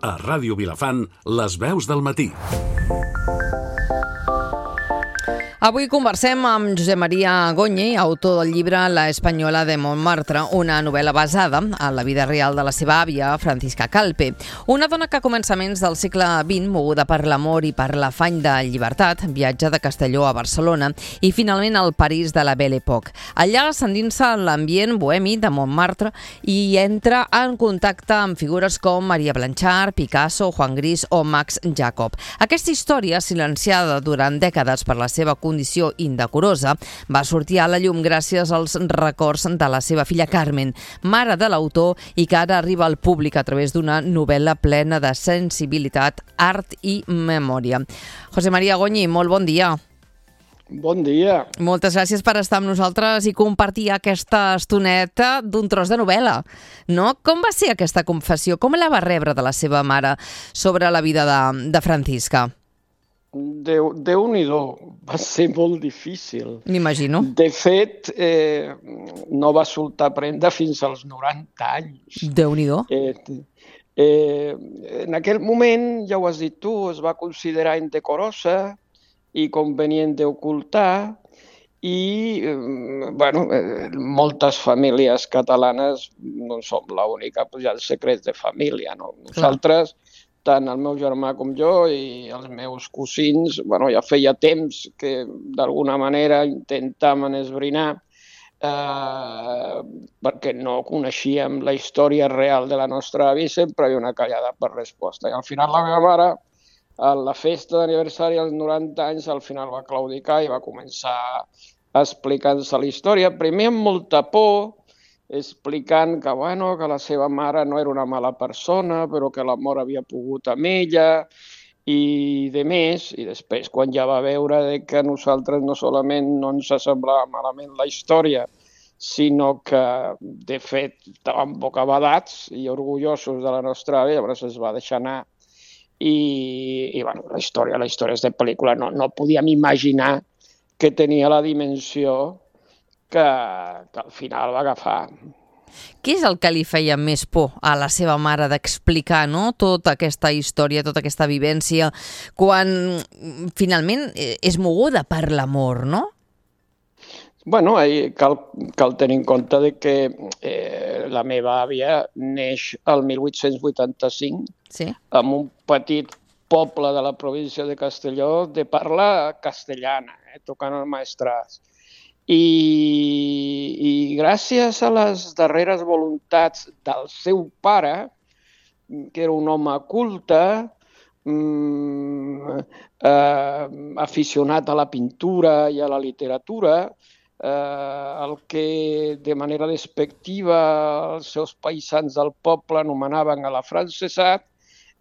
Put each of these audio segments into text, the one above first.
A Ràdio Vilafant, les veus del matí. Avui conversem amb Josep Maria Goñi, autor del llibre La Espanyola de Montmartre, una novel·la basada en la vida real de la seva àvia, Francisca Calpe. Una dona que a començaments del segle XX, moguda per l'amor i per l'afany de llibertat, viatja de Castelló a Barcelona i finalment al París de la Belle Époque. Allà s'endinsa en l'ambient bohemi de Montmartre i entra en contacte amb figures com Maria Blanchard, Picasso, Juan Gris o Max Jacob. Aquesta història, silenciada durant dècades per la seva condició indecorosa, va sortir a la llum gràcies als records de la seva filla Carmen, mare de l'autor, i que ara arriba al públic a través d'una novel·la plena de sensibilitat, art i memòria. José María Goñi, molt bon dia. Bon dia. Moltes gràcies per estar amb nosaltres i compartir aquesta estoneta d'un tros de novel·la. No? Com va ser aquesta confessió? Com la va rebre de la seva mare sobre la vida de Francisca? Déu-n'hi-do, va ser molt difícil. M'imagino. De fet, no va soltar prenda fins als 90 anys. Déu-n'hi-do. En aquell moment, ja ho has dit tu, es va considerar indecorosa i convenient d'ocultar i, moltes famílies catalanes no som l'única, hi ha els secrets de família, no? Nosaltres, tant el meu germà com jo i els meus cosins, ja feia temps que d'alguna manera intentàvem esbrinar perquè no coneixíem la història real de la nostra àvia i sempre hi havia una callada per resposta. I al final la meva mare, a la festa d'aniversari als 90 anys, al final va claudicar i va començar explicant-se la història, primer amb molta por, explicant que la seva mare no era una mala persona, però que l'amor havia pogut amb ella i de més. I després, quan ja va veure que a nosaltres no solament no ens semblava malament la història, sinó que, de fet, estàvem bocabadats i orgullosos de la nostra àvia, llavors es va deixar anar. I la història és de pel·lícula. No podíem imaginar que tenia la dimensió que al final va agafar. Què és el que li feia més por a la seva mare d'explicar, no? Tota aquesta història, tota aquesta vivència, quan finalment és moguda per l'amor, no? Cal tenir en compte que la meva àvia neix el 1885 en un petit poble de la província de Castelló de parla castellana, tocant el maestrat. I gràcies a les darreres voluntats del seu pare, que era un home culte, aficionat a la pintura i a la literatura, el que de manera despectiva els seus paisans del poble anomenaven a l'afrancesat,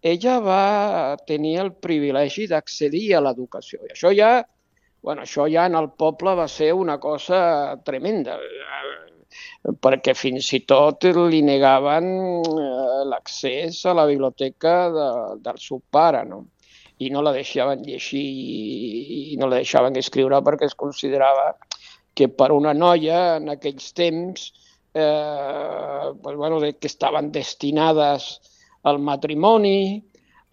ella va tenir el privilegi d'accedir a l'educació. I això ja en el poble va ser una cosa tremenda, perquè fins i tot li negaven l'accés a la biblioteca del seu pare, no? I no la deixaven llegir i no la deixaven escriure perquè es considerava que per una noia en aquells temps que estaven destinades al matrimoni,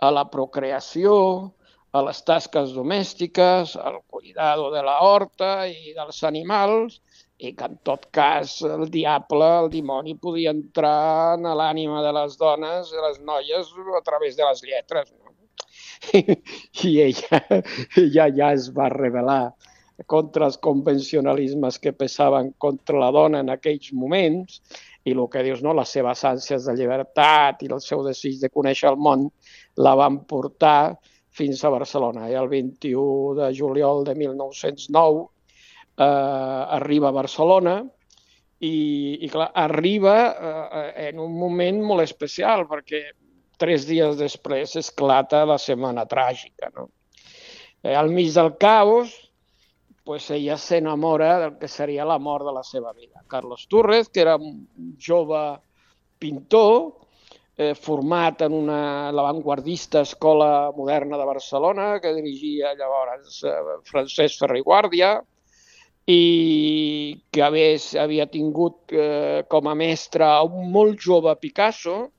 a la procreació, a les tasques domèstiques, al cuidado de la horta i dels animals, i que en tot cas el dimoni, podia entrar en l'ànima de les dones, de les noies, a través de les lletres. No? I ella ja es va rebel·lar contra els convencionalismes que pesaven contra la dona en aquells moments, i el que dius, les seves ànsies de llibertat i el seu desig de conèixer el món la van portar fins a Barcelona. I el 21 de juliol de 1909 arriba a Barcelona i clar, arriba en un moment molt especial perquè 3 dies després esclata la Setmana Tràgica. No? Al mig del caos, ella s'enamora del que seria l'amor de la seva vida. Carlos Túrrez, que era un jove pintor, format en l'avantguardista Escola Moderna de Barcelona, que dirigia llavors Francesc Ferrer i Guàrdia, i que havia tingut com a mestre un molt jove Picasso,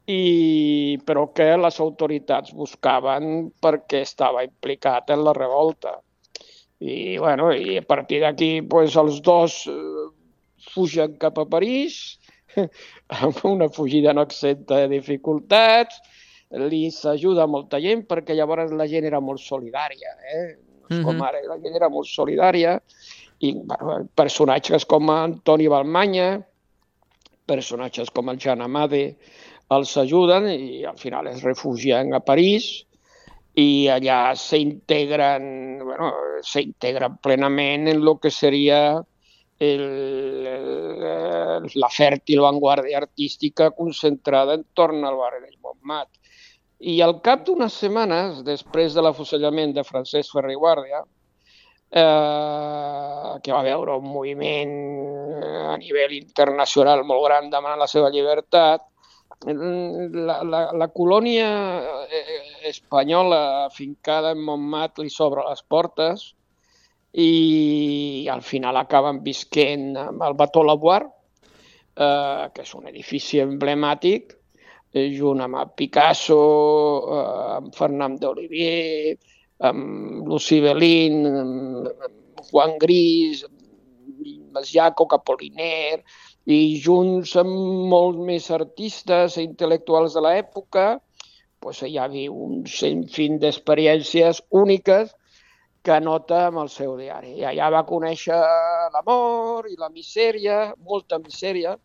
però que les autoritats buscaven perquè estava implicat en la revolta. I a partir d'aquí els dos fugen cap a París, amb una fugida no exenta de dificultats, li s'ajuda molta gent perquè llavors la gent era molt solidària, no és com ara, la gent era molt solidària, i personatges com Antoni Balmanya, personatges com el Jan Amade els ajuden i al final es refugien a París i allà s'integren plenament en el que seria la fèrtil vanguardia artística concentrada entorn al barri del Montmartre. I al cap d'unes setmanes, després de l'afusellament de Francesc Ferrer i Guàrdia, que va veure un moviment a nivell internacional molt gran demanant la seva llibertat, la colònia espanyola afincada en Montmartre li s'obre les portes i al final acaben visquent al Bateau Lavoir, que és un edifici emblemàtic, junt amb Picasso, amb Fernand d'Olivier, amb Lucy Bellin, amb Juan Gris, amb Jacob Apollinaire, i junts amb molts més artistes i intel·lectuals de l'època, hi havia un sinfín d'experiències úniques que anota amb el seu diari. I allà va conèixer l'amor i la misèria, molta misèria,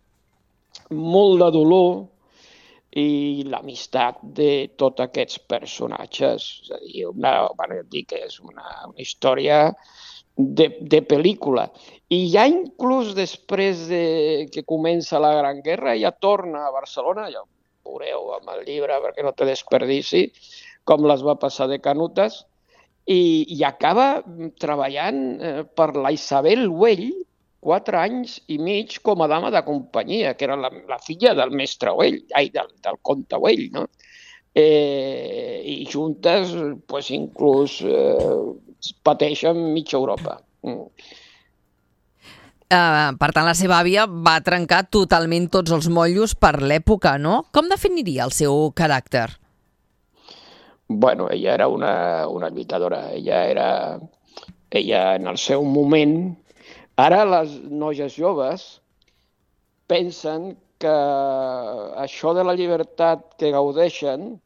molt de dolor i l'amistat de tots aquests personatges. És a dir, és una història de pel·lícula. I ja inclús després que comença la Gran Guerra, ja torna a Barcelona, ja ho veureu amb el llibre perquè no té desperdici, com les va passar de canutes, i acaba treballant per la Isabel Güell 4 anys i mig com a dama de companyia, que era la filla del mestre Güell, del comte Güell, no? I juntes inclús pateixen mitja Europa. Per tant, la seva àvia va trencar totalment tots els motllos per l'època, no? Com definiria el seu caràcter? Ella era una lluitadora. Ella en el seu moment... Ara les noies joves pensen que això de la llibertat que gaudeixen,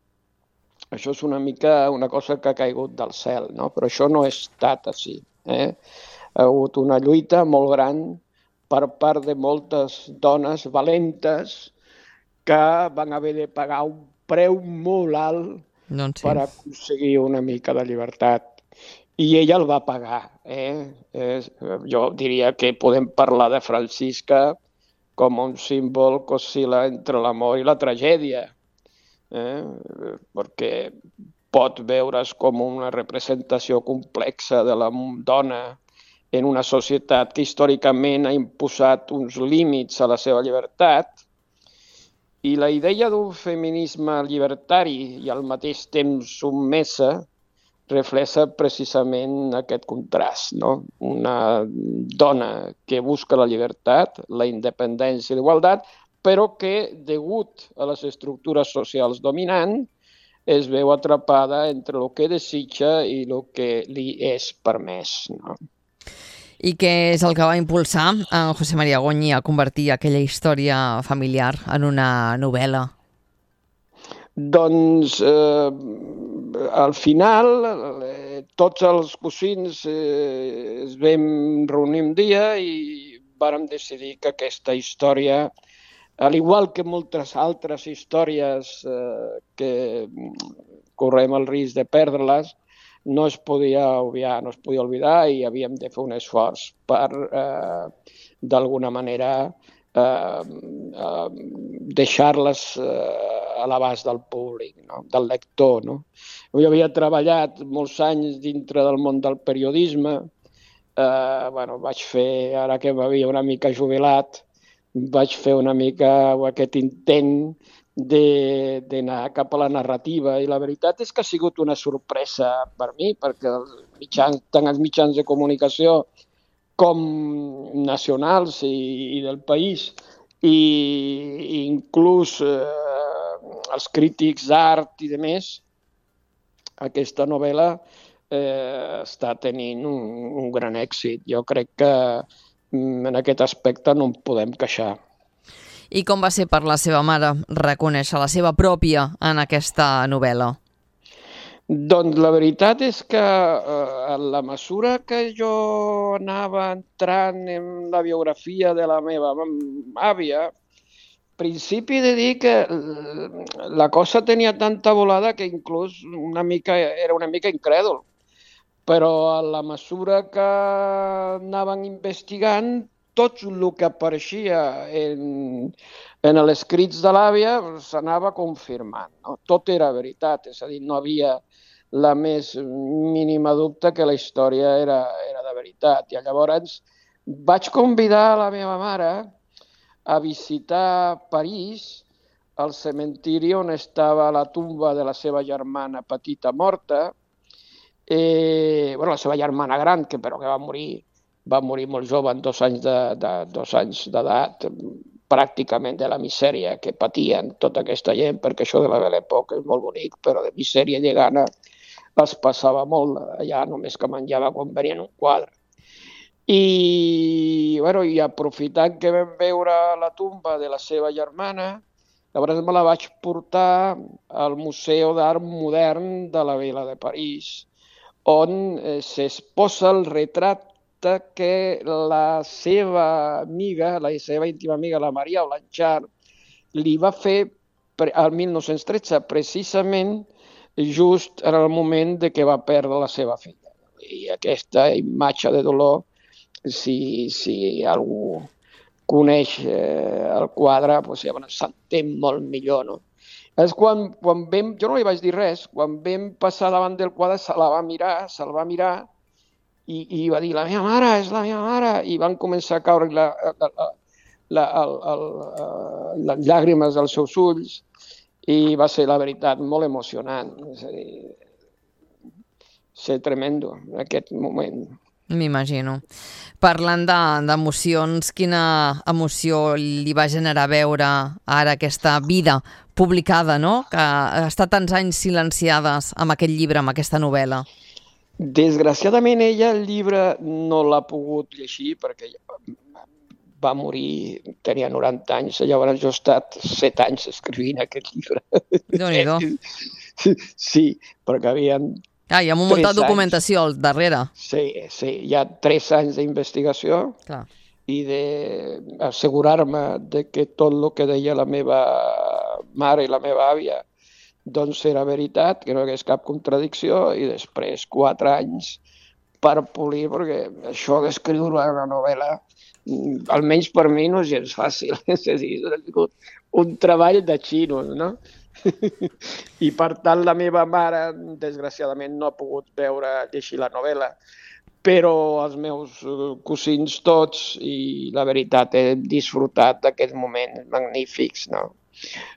això és una mica una cosa que ha caigut del cel, no? Però això no ha estat així. Ha hagut una lluita molt gran per part de moltes dones valentes que van haver de pagar un preu molt alt per aconseguir una mica de llibertat. I ella el va pagar. Jo diria que podem parlar de Francisca com un símbol que oscil·la entre l'amor i la tragèdia, perquè pot veure's com una representació complexa de la dona en una societat que històricament ha imposat uns límits a la seva llibertat, i la idea d'un feminisme llibertari i al mateix temps submesa reflexa precisament aquest contrast, no? Una dona que busca la llibertat, la independència i l'igualtat, però que, degut a les estructures socials dominants, es veu atrapada entre el que desitja i el que li és permès, no? I què és el que va impulsar en José María Goñi a convertir aquella història familiar en una novel·la? Doncs, al final, tots els cosins es vam reunir un dia i vàrem decidir que aquesta història, al igual que moltes altres històries que correm el risc de perdre-les, no es podia obviar, no es podia oblidar i havíem de fer un esforç per, d'alguna manera, deixar-les a l'abast del públic, no? Del lector, no? Jo havia treballat molts anys dintre del món del periodisme. Vaig fer, ara que m'havia una mica jubilat, vaig fer una mica aquest intent d'anar cap a la narrativa, i la veritat és que ha sigut una sorpresa per mi, perquè tant els mitjans de comunicació com nacionals i del país, i inclús els crítics d'art i de més, aquesta novel·la està tenint un gran èxit. Jo crec que en aquest aspecte no en podem queixar. I com va ser per la seva mare reconèixer la seva pròpia en aquesta novel·la? Doncs la veritat és que a la mesura que jo anava entrant en la biografia de la meva àvia, principi de dir que la cosa tenia tanta volada que inclús era una mica incrèdul. Però a la mesura que anaven investigant, tot el que apareixia en els escrits de l'àvia s'anava confirmant. No? Tot era veritat, és a dir, no havia la més mínima dubte que la història era de veritat. I llavors vaig convidar la meva mare a visitar París, al cementiri on estava la tumba de la seva germana petita morta, la seva germana gran, però que va morir molt jove, en 2 anys d'edat, pràcticament de la misèria que patien tota aquesta gent, perquè això de la Belle Époque és molt bonic, però de misèria i de gana es passava molt allà, només que menjava quan venien un quadre. I aprofitant que vam veure la tumba de la seva germana, llavors me la vaig portar al Museu d'Art Modern de la Vila de París, on s'exposa el retrat que la seva amiga, la seva íntima amiga, la Maria Blanchard, li va fer al 1913, precisament just en el moment de que va perdre la seva filla. I aquesta imatge de dolor, si algú coneix el quadre, s'entén molt millor, no? És quan jo no li vaig dir res, quan vam passar davant del quadre se'l va mirar i va dir, la meva mare, és la meva mare, i van començar a caure les llàgrimes dels seus ulls i va ser, la veritat, molt emocionant. És a dir, ser tremendo en aquest moment. M'imagino. Parlant d'emocions, quina emoció li va generar veure ara aquesta vida publicada, no? Que ha estat tants anys silenciades amb aquest llibre, amb aquesta novel·la. Desgraciadament ella el llibre no l'ha pogut llegir perquè va morir, tenia 90 anys, llavors jo he estat 7 anys escrivint aquest llibre. Déu-n'hi-do. Sí, perquè havien... hi ha molta documentació al darrere. Sí, hi ha 3 anys d'investigació i d'assegurar-me que tot el que deia la meva mare i la meva àvia doncs era veritat, que no hi hagués cap contradicció, i després 4 anys per polir, perquè això d'escriure una novel·la, almenys per mi, no és gens fàcil. És a dir, un treball de xinos, no? I per tant la meva mare, desgraciadament, no ha pogut llegir la novel·la, però els meus cosins tots, i la veritat, he disfrutat d'aquests moments magnífics, no?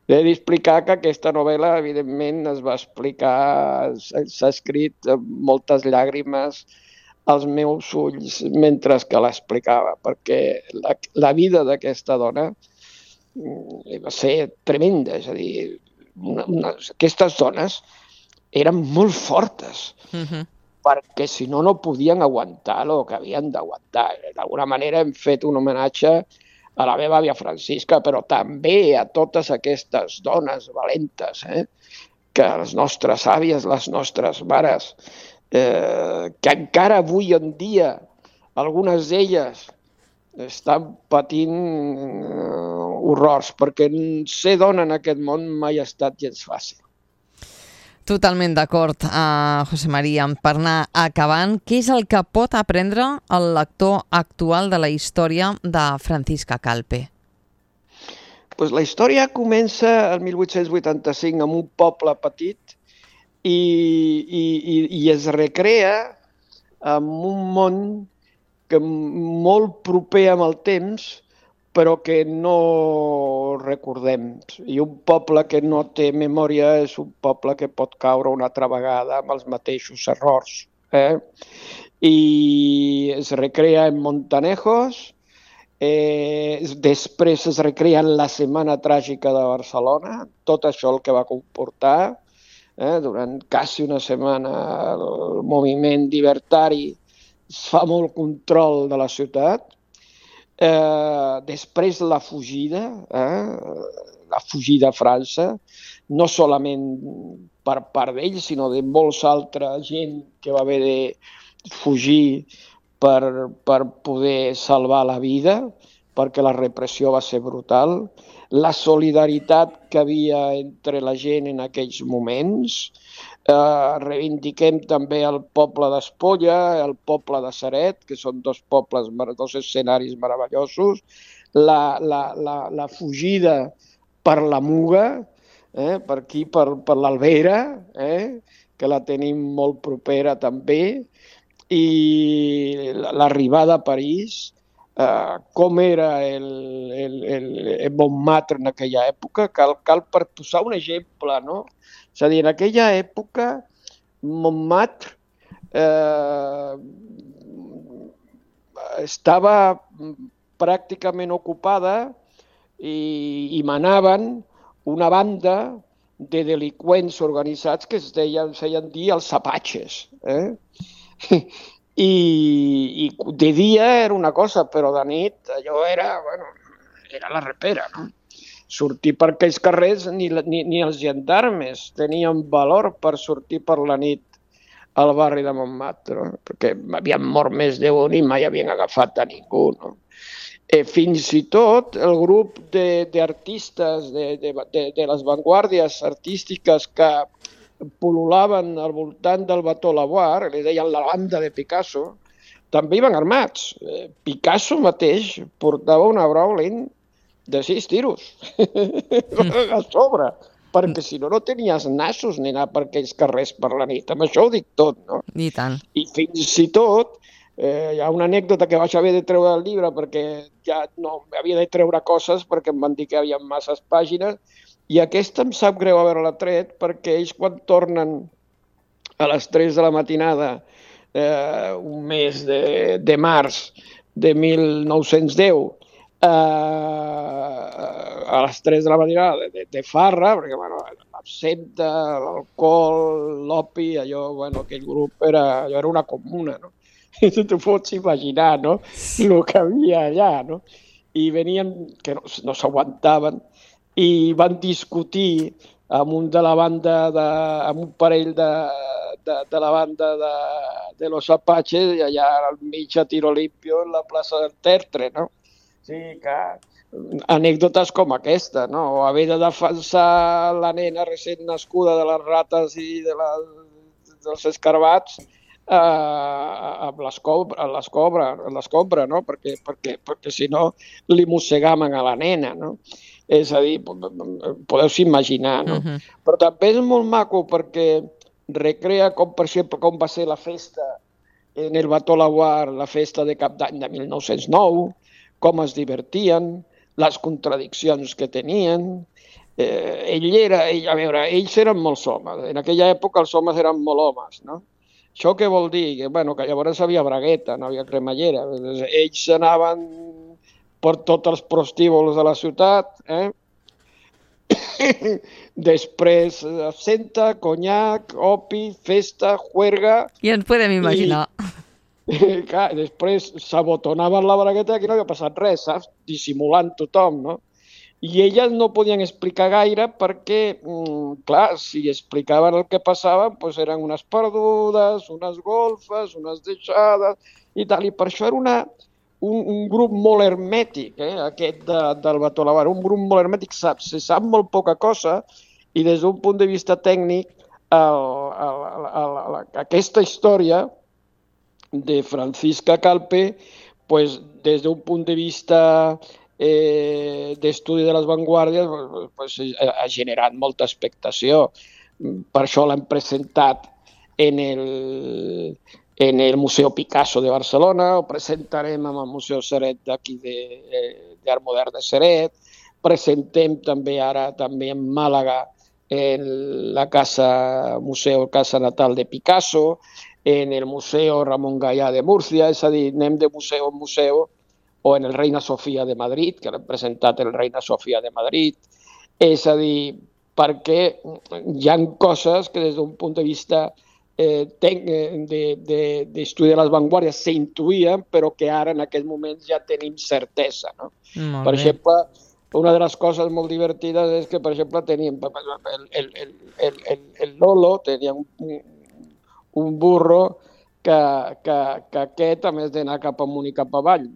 He d'explicar que aquesta novel·la, evidentment, s'ha escrit amb moltes llàgrimes als meus ulls mentre que l'explicava, perquè la vida d'aquesta dona va ser tremenda, és a dir, aquestes dones eren molt fortes, perquè si no, no podien aguantar el que havien d'aguantar. D'alguna manera hem fet un homenatge a la meva àvia Francisca, però també a totes aquestes dones valentes, que les nostres àvies, les nostres mares, que encara avui en dia algunes d'elles estan patint horrors, perquè ser dona en aquest món mai ha estat gens fàcil. Totalment d'acord, José María. Per anar acabant, què és el que pot aprendre el lector actual de la història de Francisca Calpe? La història comença el 1885 en un poble petit i es recrea en un món que molt proper amb el temps, però que no recordem. I un poble que no té memòria és un poble que pot caure una altra vegada amb els mateixos errors. I es recrea en Montanejos Després es recrea la Setmana Tràgica de Barcelona, tot això el que va comportar. Durant quasi una setmana el moviment llibertari es fa molt control de la ciutat. Després la fugida a França, no solament per part d'ells, sinó de molts altra gent que va haver de fugir per poder salvar la vida, perquè la repressió va ser brutal. La solidaritat que havia entre la gent en aquells moments. Reivindiquem també el poble d'Espolla, el poble de Ceret, que són dos escenaris meravellosos. La fugida per la Muga, per aquí, per l'Albera, que la tenim molt propera també, i l'arribada a París, com era el Montmartre en aquella època. Cal per posar un exemple, no? És a dir, en aquella època Montmartre estava pràcticament ocupada i manaven una banda de delinqüents organitzats que es feien dir els apatxes. I de dia era una cosa, però de nit allò era la repera, no? Sortir per aquells carrers, ni els gendarmes tenien valor per sortir per la nit al barri de Montmartre, no? Perquè havien mort més d'un i mai havien agafat a ningú, no? Fins i tot el grup d'artistes, de les vanguardies artístiques que pol·lulaven al voltant del Bateau Lavoir, li deien la banda de Picasso, també iban armats. Picasso mateix portava una Browning de 6 tiros a sobre, perquè si no tenies nassos ni anar per aquells carrers per la nit. Amb això ho dic tot, no? I tant. I fins i tot hi ha una anècdota que vaig haver de treure del llibre perquè ja no havia de treure coses perquè em van dir que hi havia masses pàgines, i aquesta em sap greu haver-la tret perquè ells quan tornen a les 3 de la matinada, un mes de març de 1910, a les 3 de la matinada de farra, perquè l'absenta, l'alcohol, l'opi, allò, aquell grup era una comuna, no? I tu t'ho pots imaginar, no? El que havia allà, no? I venien, que no s'aguantaven, i van discutir amb un parell de la banda de los Apaches, i allà al mig a tiro limpio en la plaça del Tertre, no? Sí, que anècdotes com aquesta, no? O haver de defensar la nena recent nascuda de les rates i dels escarbats amb l'escombra, no? Perquè si no li mossegaven a la nena, no? És a dir, podeu-s'hi imaginar, no? Però també és molt maco perquè recrea com, per exemple, com va ser la festa en el Bateau Lavoir, la festa de Cap d'Any de 1909, com es divertien, les contradiccions que tenien. Ells eren molts homes. En aquella època els homes eren molt homes, no? Això què vol dir? Que llavors havia bragueta, no havia cremallera. Ells anaven per tots els prostíbuls de la ciutat, després absenta, conyac, opi, festa, juerga... Ja ens podem imaginar. Clar, després s'abotonaven la bragueta i aquí no havia passat res, saps? Dissimulant tothom, no? I elles no podien explicar gaire perquè, clar, si explicaven el que passava, doncs eren unes perdudes, unes golfes, unes deixades i tal. I per això era un grup molt hermètic, aquest del Bateau Lavoir, un grup molt hermètic, se sap molt poca cosa i des d'un punt de vista tècnic aquesta història de Francisca Calpe, pues, des d'un punt de vista d'estudi de les vanguardies, pues, ha generat molta expectació. Per això l'hem presentat en el Museu Picasso de Barcelona, ho presentarem amb el Museu Ceret d'aquí d'Art Modern de Ceret, presentem també ara en Màlaga en la casa natal de Picasso, en el Museu Ramon Gallà de Múrcia, és a dir, anem de museu en museu o en el Reina Sofia de Madrid, que l'hem presentat el Reina Sofia de Madrid. És a dir, perquè hi ha coses que des d'un punt de vista d'estudi de les vanguardies s'intuïen, però que ara en aquest moment ja tenim certesa. No? Per exemple, una de les coses molt divertides és que, per exemple, teníem el Lolo, tenia un burro que aquest, a més d'anar cap amunt i cap avall,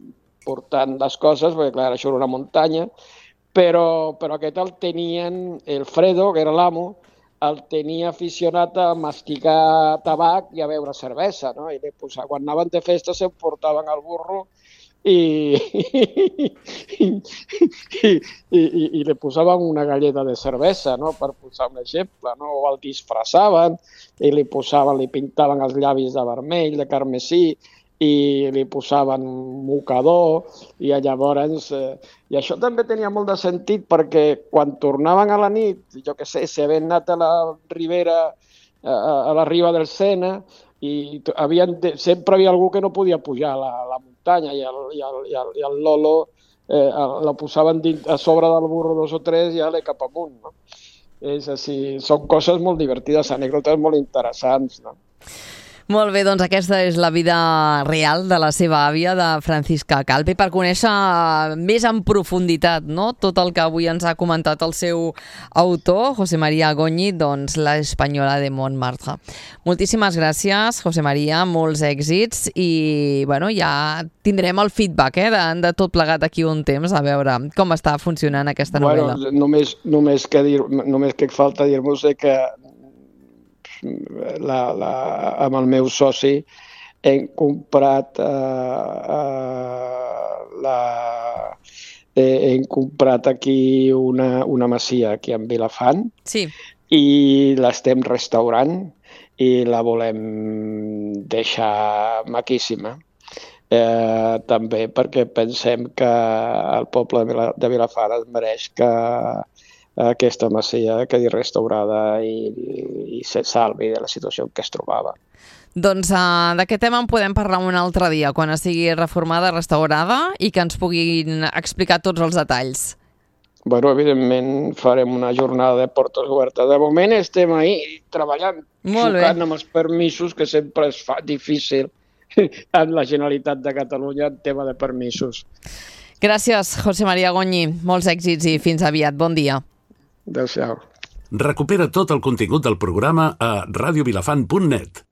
portant les coses, perquè clar, això era una muntanya, però aquest el tenien, el Fredo, que era l'amo, el tenia aficionat a masticar tabac i a beure cervesa, no? I quan anaven de festa s'emportaven el burro i li posaven una galleta de cervesa, no? Per posar un exemple, no? O el disfressaven i li pintaven els llavis de vermell, de carmesí, i li posaven mocador, i llavors... I això també tenia molt de sentit perquè quan tornaven a la nit, jo què sé, si havien anat a la ribera, a la riba del Sena, i sempre havia algú que no podia pujar a la muntanya i el Lolo la posaven a sobre del burro 2 o 3 i ja cap amunt. No? És així, són coses molt divertides, anècdotes molt interessants. No? Molt bé, doncs aquesta és la vida real de la seva àvia, de Francisca Calpe. Per conèixer més en profunditat, no?, tot el que avui ens ha comentat el seu autor, José María Goñi, doncs La Española de Montmartre. Moltíssimes gràcies, José María, molts èxits i bueno, ja tindrem el feedback de tot plegat aquí un temps, a veure com està funcionant aquesta novel·la. Només que falta dir-vos que amb el meu soci hem comprat aquí una masia aquí a Vilafant, sí, i l'estem restaurant i la volem deixar maquíssima. També perquè pensem que el poble de Vilafant es mereix que aquesta masia quedi restaurada i se salvi de la situació en què es trobava. Doncs d'aquest tema en podem parlar un altre dia, quan estigui reformada, restaurada i que ens puguin explicar tots els detalls. Bueno, evidentment farem una jornada de portes obertes. De moment estem ahí treballant, xocant amb els permisos, que sempre es fa difícil en la Generalitat de Catalunya en tema de permisos. Gràcies, José María Goñi. Molts èxits i fins aviat. Bon dia. Adéu-siau. Recupera tot el contingut del programa a radiovilafant.net.